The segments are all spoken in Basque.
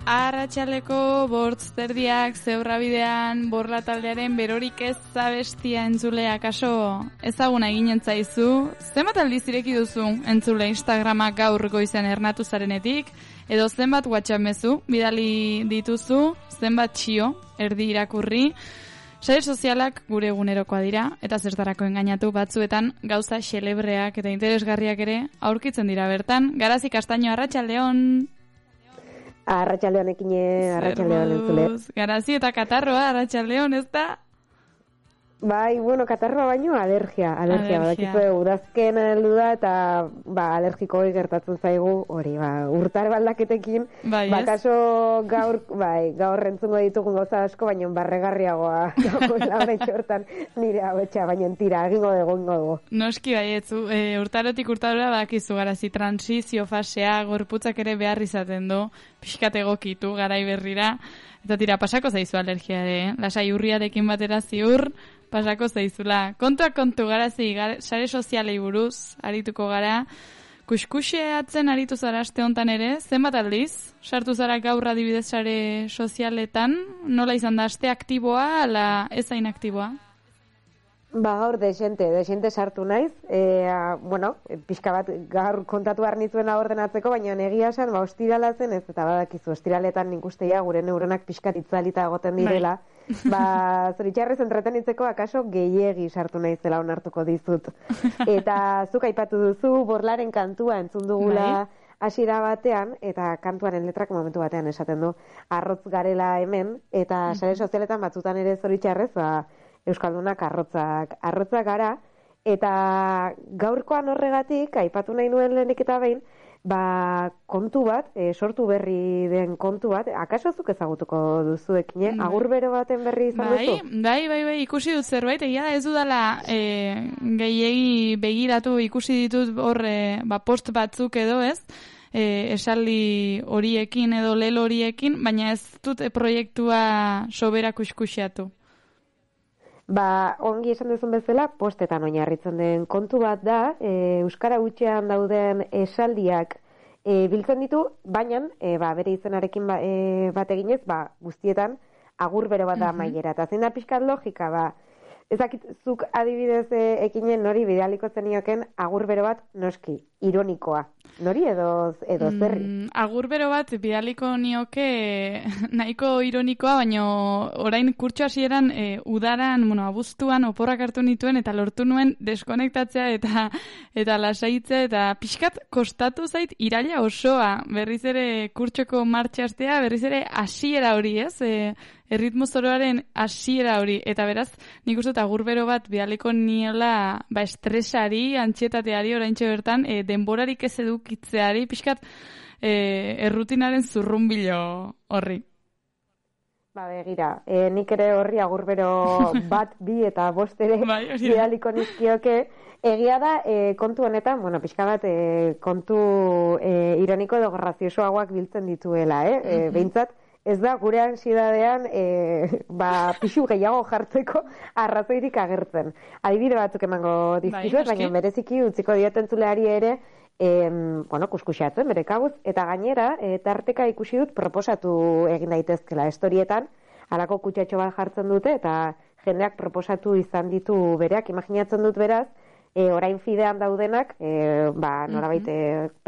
Arratsaleko bortzterdiak zeurrabidean borla taldearen berorik ez zabestia entzulea kaso ezaguna eginen zaizu. Zenbat aldiz ireki duzu entzule Instagrama gaur goizean ernatu zarenetik, edo zenbat WhatsApp mezu bidali dituzu, zenbat txio erdi irakurri. Sare sozialak gure egunerokoa dira, eta zertarako engainatu batzuetan gauza xelebreak eta interesgarriak ere aurkitzen dira bertan. Garazi Kastaino, arratsaldeon. Arratsaldeon ekine, arratsaldeon entzule. Garazi eta katarroa, arratsaldeon, ez da? Bai, bueno, katarroa baino alergia. Badakizue udazken heldu da eta alergiko gertatzen zaigu, hori, urtar baldaketekin, kaso gaur entzungo ditugun gauza asko, baino barregarriagoa dagoela oraintxe hortan nire hauetxa, baino tira, egingo dugu. Noski baietzu, urtarotik urtarora badakizu Garazi, transizio fasea, gorputzak ere behar izaten du, pixkat egokitu garai berrira, eta tira, pasako zaizu alergia ere, lasai urriarekin batera ziur, pasako zaizula. Kontuak kontu, Garazi, sare sozialei buruz arituko gara. Kuskuxeatzen aritu zara aste hontan ere, zenbat aldiz? Sartu zara gaur adibidez sare sozialetan, nola izan da, aste aktiboa, ala ez hain aktiboa? Gaur desente sartu naiz, pixka bat gaur kontatu behar nitzuena ordenatzeko, baina egia esan, ostirala zen ez, eta badakizu, ostiraletan nik usteia gure neuronak pixkat itzalita egoten direla, zoritxarrez entretenitzeko akaso gehiegi sartu naizela onartuko dizut. Eta zuk aipatu duzu, Borlaren kantua entzun dugula hasiera batean, eta kantuaren letrak momentu batean esaten du, arrotz garela hemen, eta sare sozialetan batzutan ere zoritxarrez, Euskaldunak arrotzak gara, eta gaurkoan horregatik, aipatu nahi nuen lehenik eta behin, kontu bat, sortu berri den kontu bat, akaso zuk ezagutuko duzuekin, agur bero baten berri izan duzu? Bai, ikusi dut zerbait, egia ez dudala gehiegi begiratu, ikusi ditut hor post batzuk edo ez, esaldi horiekin edo lelo horiekin, baina ez dut proiektua sobera kuskuxeatu. Ongi esan duzun bezala, postetan oinarritzen den kontu bat da, Euskara hutsean dauden esaldiak biltzen ditu, baina bere izenarekin bat eginez, guztietan agur bero bat da amaiera. Eta zein da pixkat logika, ezakizuk adibidez ekinen nori bidaliko zenioken agur bero bat noski, ironikoa. Nori edo zerri? Agur bero bat bidaliko nioke nahiko ironikoa, baina orain kurtso hasieran udaran, abuztuan oporrak hartu nituen eta lortu nuen deskonektatzea eta lasaitzea eta pixkat kostatu zait iraila osoa. Berriz ere kurtsoko martxa hastea, berriz ere hasiera hori, ez? Erritmo zoroaren hasiera hori, eta beraz, nik uste agur bero bat bidaliko niela estresari, antxietateari oraintxe bertan, denborarik ez edukitzeari, pixkat errutinaren zurrunbilo horri. Begira, nik ere horri agur bero bat, bi eta bost ere bidaliko nizkioke, egia da kontu honetan, pixka bat kontu ironiko edo graziosoagoak biltzen dituela, behintzat, ez da, gure ansidadean pixu gehiago jartzeko arrazoirik agertzen. Adibide batzuk emango dizkizuet, baina bereziki utziko diotentzuleari ere kuskuxeatzen, bere kabuz, eta gainera, tarteka ikusi dut proposatu egin daitezkela estorietan, halako kutsatxo bat jartzen dute, eta jendeak proposatu izan ditu bereak, imaginatzen dut beraz, orain fidean daudenak, norabait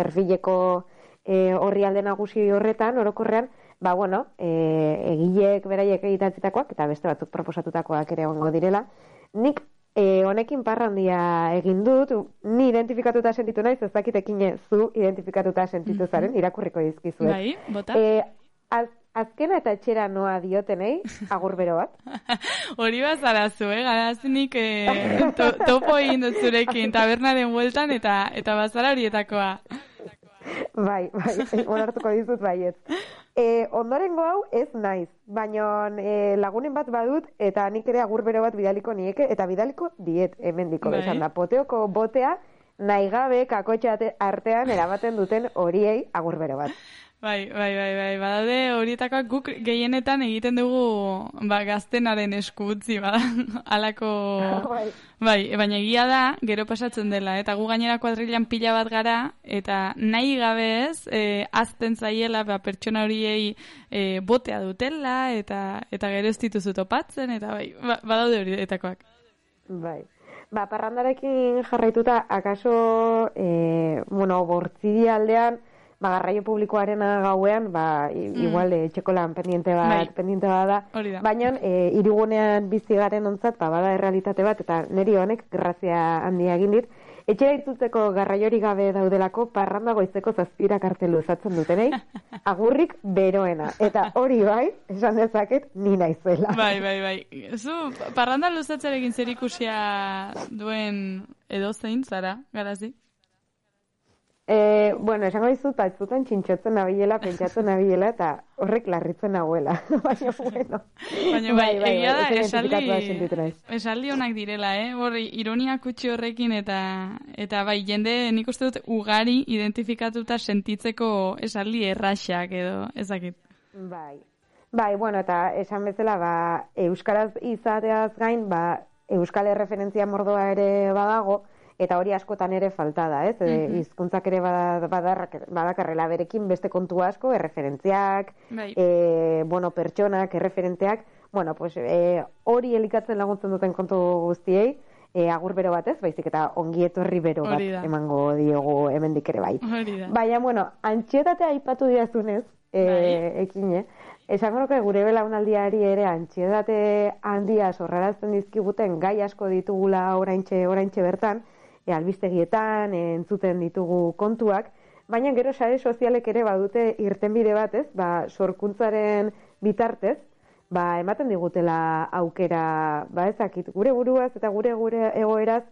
perfileko horri alde nagusi horretan, orokorrean, egileek beraiek egitatzitakoak eta beste batzuk proposatutakoak ere egongo direla. Nik honekin parrandia egin dut, ni identifikatuta sentitu naiz, ez dakitekin zu identifikatuta sentitu zaren, irakurriko dizkizuet. Bai, bota. Azkena eta etxera noa diotenei, agur bero bat. Hori bazarazu, Garazinik topo egin dut zurekin, tabernaren bueltan eta bazara horietakoa. Bai, onartuko dizut baiet. Ondorengo hau ez naiz, baina lagunen bat badut eta nik ere agur bero bat bidaliko nieke, eta bidaliko diet hemendiko esan da. Poteoko botea nahi gabe kakotxa artean eramaten duten horiei agur bero bat. Bai, badaude horietakoak guk gehienetan egiten dugu gaztenaren esku utzi, halako... Bai, baina egia da, gero pasatzen dela, eta gu gainera kuadrilan pila bat gara, eta nahi gabe ez, azten zaiela pertsona horiei botea dutela, eta gero ez dituzu topatzen, eta bai, badaude horietakoak. Bai. Parrandarekin jarraituta, akaso, bortzidi aldean, garraio publikoarena gauean, igual etxekolan pendiente bat da. Baina, hirigunean bizi garen ontzat, bada errealitate bat, eta niri honek grazia handia egin dit. Etxera irtzuteko garraiori gabe daudelako, parranda goizeko 7 kartelu usatzen dutenei, agurrik beroena. Eta hori bai, esan dezaket, ni naizela. Bai. Zu, parranda luzatzarekin zer ikusia duen edozein, zara, garazi? Esango dizut, batzutan txintxotzen nabilela, pentsatzen nabilela, eta horrek larritzen nagoela. Baina, bueno. Baina, egia da, esaldi honak direla, ironia kutsi horrekin, eta bai, jende nik uste dut ugari identifikatuta sentitzeko esaldi erraxak edo, ezakit. Bai, eta esan bezala, euskaraz izateaz gain, euskal erreferentzia mordoa ere badago, eta hori askotan ere falta da, ez? Hizkuntzak ere badakarrela berekin beste kontu asko, erreferentziak, pertsonak, erreferenteak, hori elikatzen laguntzen duten kontu guztiei, agur bero batez, baizik eta ongi etorri bero bat emango diogu hemendik ere bai. Baina, antxietatea aipatu diazunez, ekine, esango nuke gure belaunaldiari ere antsietate handia sorrarazten dizkiguten gai asko ditugula oraintxe bertan, albistegietan, entzuten ditugu kontuak, baina gero sare sozialek ere badute irtenbide batez, sorkuntzaren bitartez, ematen digutela aukera, ezakit, gure buruaz eta gure egoeraz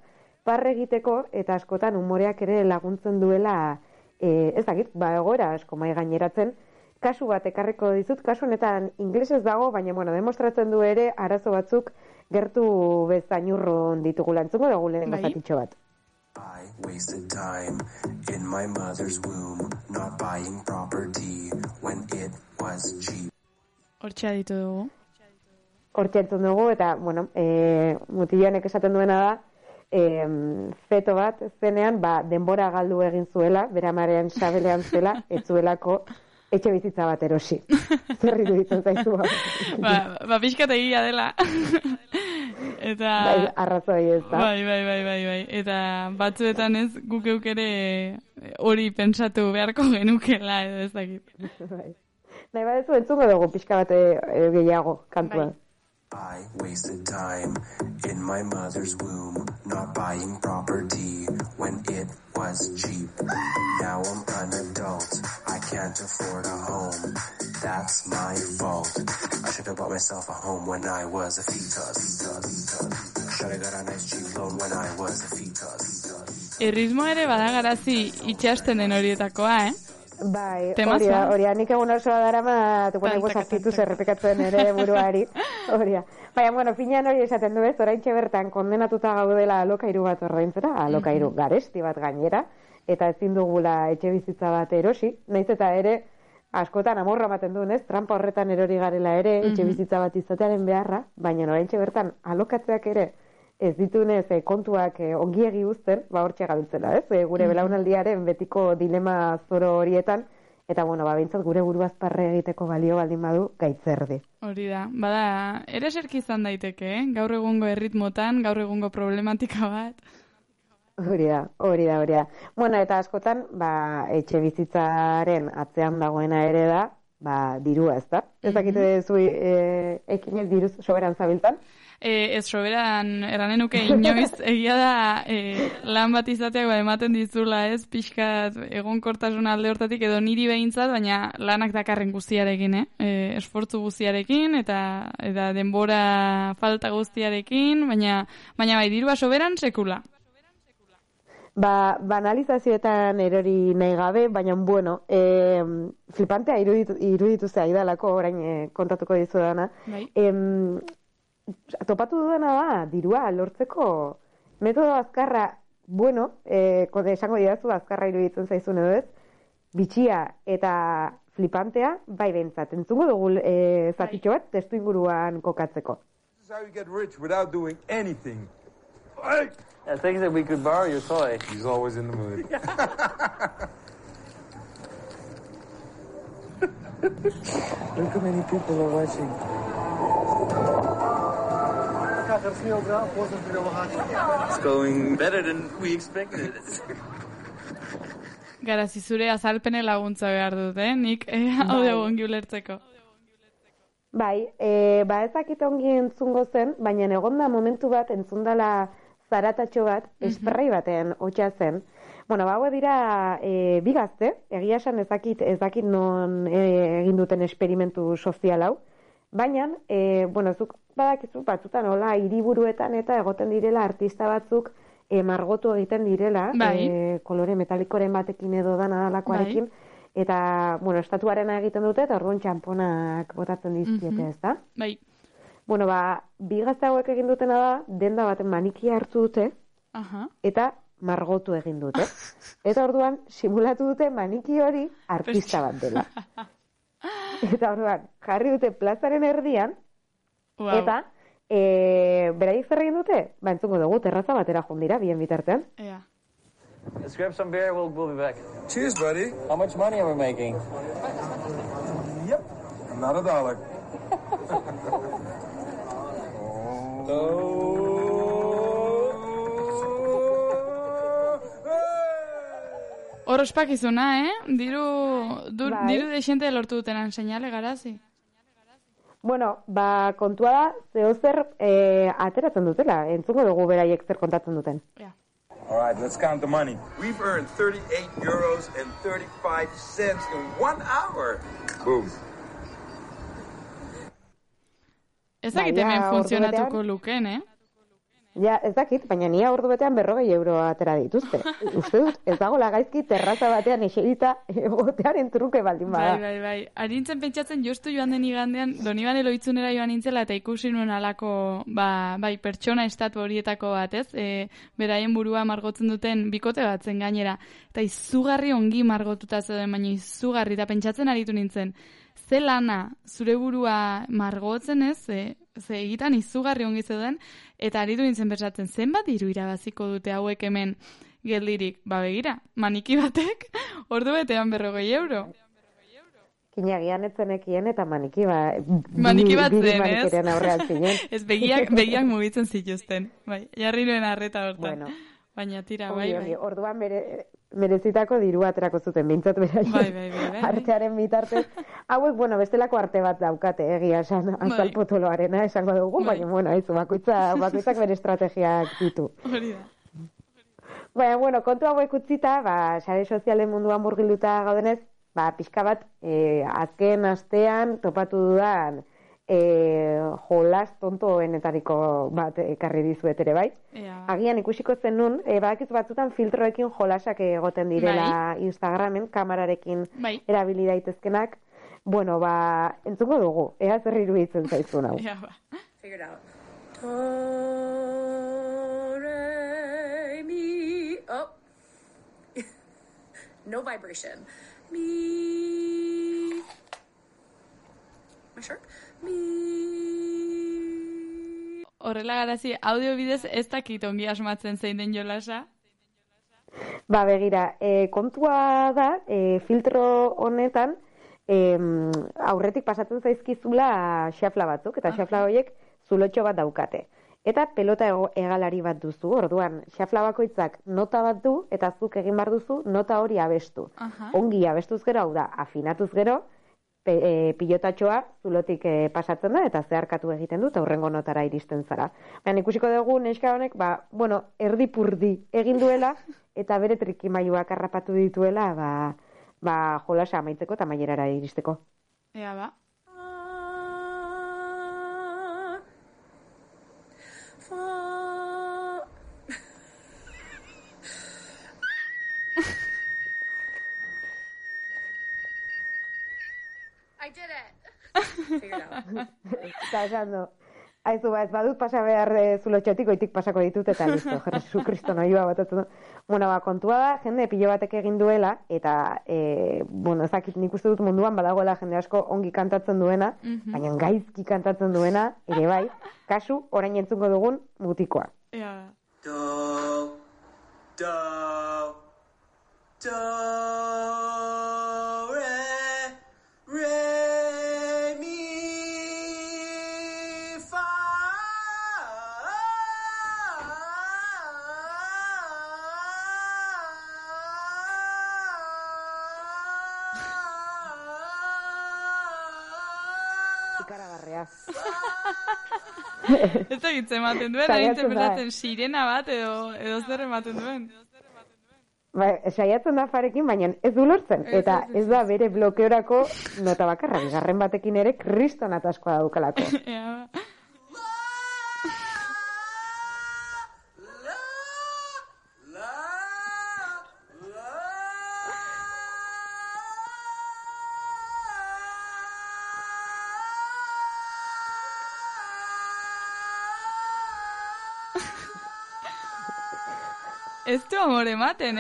parre egiteko, eta askotan umoreak ere laguntzen duela, ezakit, egoera asko mai gaineratzen. Kasu bat ekarriko dizut, kasu honetan inglesez dago, baina demostratzen du ere arazo batzuk gertu bezainurron ditugula. Entzungo dugu lehen gozatitxo bat. I wasted time in my mother's womb, not buying property when it was cheap. Hortxe aditu dugu. Hortxe entzun dugu, eta, mutilanek esaten duena da, feto bat zenean, denbora galdu egin zuela, bere amaren sabelean zela, ez zuelako etxe bizitza bat erosi. Zerri duditzen zaizu. Pixkat egia dela. Eta... arrazoi ez da. Bai. Eta batzuetan ez guk eukere hori pentsatu beharko genukela edo ez dakit. Nahi badezu entzungo dugu pixka bat gehiago kantua. I wasted time in my mother's womb, not buying property when it was cheap. Now I'm an adult, I can't afford a home. That's my fault. I should have bought myself a home when I was a fetus. Should have got a nice cheap loan when I was a fetus. Erritmo ere badagarazi itxasten den horietakoa, Bai, horia, nik egun osoa darama, tuponeko sartitu zerrepikatzen ere buruari, horia. Baina, finean hori esaten du ez, oraintxe bertan kondenatuta gaudela alokairu bat ordaintzera, alokairu garesti bat gainera, eta ezin dugula etxe bizitza bat erosi, nahiz eta ere, askotan amorra ematen duen ez, trampa horretan erori garela ere, etxe bizitza bat izatearen beharra, baina oraintxe bertan alokatzeak ere, ez ditunez kontuak ongiegi uzten, hortxe gabiltzela, ez? Gure belaunaldiaren betiko dilema zoro horietan, eta, bintzat gure buruaz parre egiteko balio baldin badu gaitzerdi. Hori da, ere eserki izan daiteke, gaur egungo erritmotan, gaur egungo problematika bat. Hori da. Eta askotan, etxe bizitzaren atzean dagoena ere da, dirua, ez da? Ez dakite zu ekinez diruz soberan zabiltzan? Ez soberan erranenuke inoiz, egia da lan bat izateak ematen dizula ez, pixkat egonkortasun alde hortatik edo niri behintzat, baina lanak dakarren guztiarekin, esfortzu guztiarekin eta denbora falta guztiarekin, baina bai, dirua soberan sekula. Banalizazioetan erori nahi gabe, baina flipantea iruditu zaidalako, orain kontatuko dizu dana. Topatu duena da, dirua lortzeko metodo azkarra, esango didazu azkarra iruditzen zaizun edo ez, bitxia eta flipantea, bai behintzat. Entzungo dugu zatitxo bat, testu inguruan kokatzeko. This is how you get rich without doing anything. I think that we could borrow your toy. He's always in the mood. Look how many people are watching. It's going better than we expected. Garazi zure azalpene laguntza behar dut, nik haude ongi ulertzeko. Bai, ezakit ongi entzungo zen, baina egonda momentu bat entzundala zaratatxo bat, esprai batean hotxa zen. Bueno, hauek dira bi gazte, egia esan ez dakit non egin duten esperimentu sozial hau, baina, zuk badakizu batzutan hola hiriburuetan eta egoten direla artista batzuk margotu egiten direla, kolore metalikoren batekin edo dana dalakoarekin, eta, estatuarena egiten dute, eta orduan txamponak botatzen dizkiete, ez da? Bai. Bi gazte hauek egin dutena da, denda baten manikia hartu dute, eta margotu egin dute. Eta orduan, simulatu dute maniki hori artista bat dela. Eta orduan, jarri dute plazaren erdian, eta beraiek zer egin dute? Entzungo dugu, terraza batera jundira, bien bitartean. Let's grab some beer, we'll be back. Cheers, buddy. How much money are we making? Yep. Not $1. Hor ospakizuna, Diru dexente lortu dutenan seinale, Garazi. Kontua da, zehozer ateratzen dutela. Entzungo dugu beraiek zer kontatzen duten. All right, let's count the money. We've earned €38.35 in 1 hour. Boom. Ez dakit hemen funtzionatuko luken, Ja, ez dakit, baina nia ordu betean €40 atera dituzte. Uste dut, ez dago lagaizki terraza batean eserita egotearen truke baldin bada. Bai. Arintzen pentsatzen justu joan den igandean, Donibane Lohitzunera joan nintzela eta ikusi nuen alako, pertsona estatu horietako bat, ez? Beraien burua margotzen duten bikote bat zen gainera. Eta izugarri ongi margotuta zeuden, baina izugarri, eta pentsatzen aritu nintzen. Ze lana zure burua margotzen ez, ze egitan izugarri ongi zeuden, eta aritu nintzen bersatzen, zenbat diru irabaziko dute hauek hemen geldirik? Begira, maniki batek, ordu betean €40. Kinagian etzenekien eta maniki bat zen, ez? Aurrean zinen. Ez begiak mugitzen zituzten, jarri nuen arreta hortan. Baina tira, bai. Orduan merezitako diru aterako zuten, bintzat beraien. Bai. Artearen bitartez. Hauek, bestelako arte bat daukate, egia esan, azalpotoloarena esango dugu, baina, bakoitzak bere estrategiak ditu. Hori da. Baina, kontu hauek utzita, sare sozialen munduan murgilduta gaudenez, pixka bat, azken astean topatu dudan jolas tontoenetariko bat ekarri dizuet ere bai. Agian ikusiko zen nun, badakizu batzutan filtroekin jolasak egoten direla Instagramen, kamerarekin erabili daitezkenak. Entzungo dugu, ea zer iruditzen zaizun hau. Figured out. Do, re, mi, no vibration. Mi, my shirt. Horrela Garazi, audio bidez ez dakit ongi asmatzen zein den jolasa? Begira, kontua da, filtro honetan, aurretik pasatzen zaizkizula xafla batzuk, eta xafla horiek zulotxo bat daukate. Eta pelota hegalari bat duzu, orduan, xafla bakoitzak nota bat du, eta zuk egin bar duzu nota hori abestu. Ongi abestuz gero, hau da, afinatuz gero, pilotatxoa zulotik pasatzen da, eta zeharkatu egiten dut, aurrengo notara iristen zara. Baina ikusiko dugu, neska honek, erdipurdi egin duela, eta bere trikimailuak harrapatu dituela, jolasa amaitzeko eta mailerara iristeko. Ea ba. I did it. Figured out. Eta esando, Aizu, ez badut pasa behar zulotxotik, oitik pasako ditut, eta listo, Jesu Kristo noioa batatzen du. Bueno, kontua da, jende pilo batek egin duela, eta, ezakit nik uste dut munduan badagoela jende asko ongi kantatzen duena, baina gaizki kantatzen duena, ere bai, kasu, orain entzungo dugun mutikoa. Ja. Do, do, do, re, mi, fa. Ikaragarrea. Ez da gitze ematen duen, da interpretatzen sirena bat edo zer ematen duen. Saiatzen da farekin, baina ez du lortzen. Eta ez da bere blokeorako nota bakarra. Bigarren batekin ere kriston ataskoa daukalako. Ez du amor ematen,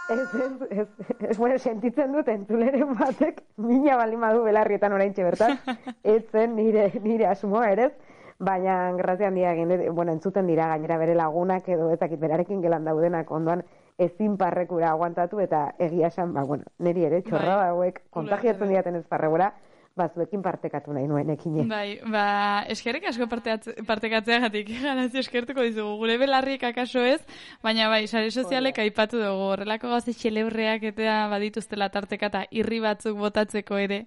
Ez, sentitzen dut entzuleren batek, mina baldin badu belarrietan oraintxe bertan, ez zen nire asmoa ere, baina grazia handia egin, entzuten dira gainera bere lagunak edo ezakit berarekin gelan daudenak ondoan ezin parrekura aguantatu eta egia esan, niri ere txorra hauek kontagiatzen diaten ez parregura, zuekin partekatu nahi nuen ekine. Bai, eskerrik asko partekatzeagatik, garazio eskertuko dizugu. Gure belarriek akaso ez, baina bai, sare sozialek aipatu dugu. Horrelako gauze xeleurreak eta badituztela tarteka eta irri batzuk botatzeko ere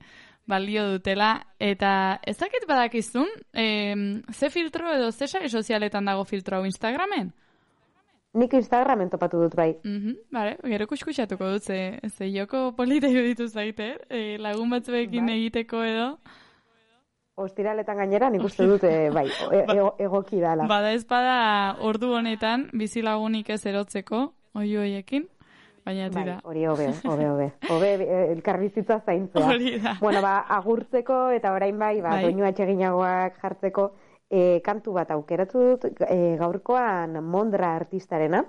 balio dutela. Eta ezakit badakizun, ze filtro edo ze sare sozialetan dago filtro hau Instagramen? Nik Instagramen topatu dut bai. Bale, gero kuskutsatuko dut, ze joko polita iruditu zaite, lagun batzuekin egiteko edo. Ostiraletan gainera nik uste dut, egoki dala. Bada ez bada ordu honetan, bizilagunik ez erotzeko, oioiekin, baina tira. Hori hobe. Hobe elkarbizitza zaintzea. Hori da. Agurtzeko eta orain bai, doinua etxeginagoak jartzeko, kantu bat aukeratu dut gaurkoan Mondra artistarena,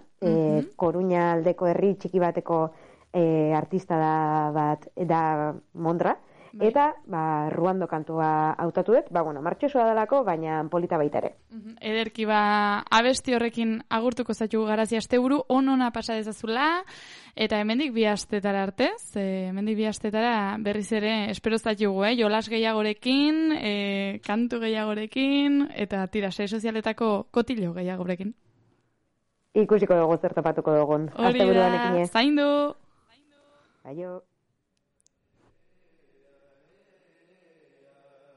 Koruña aldeko herri txiki bateko artista da Mondra, eta Ruando kantua hautatu dut, martxosua dalako, baina polita baita ere. Ederki abesti horrekin agurtuko zaitu Garazia asteburu, onona pasa dezazula, eta hemendik 2 astetara arte, hemendik 2 astetara berriz ere espero zaitu, jolas gehiagorekin, kantu gehiagorekin, eta tira, sare sozialetako kotilo gehiagorekin. Ikusiko dugu zer topatuko dugun. Hori da, zaindu! Aio!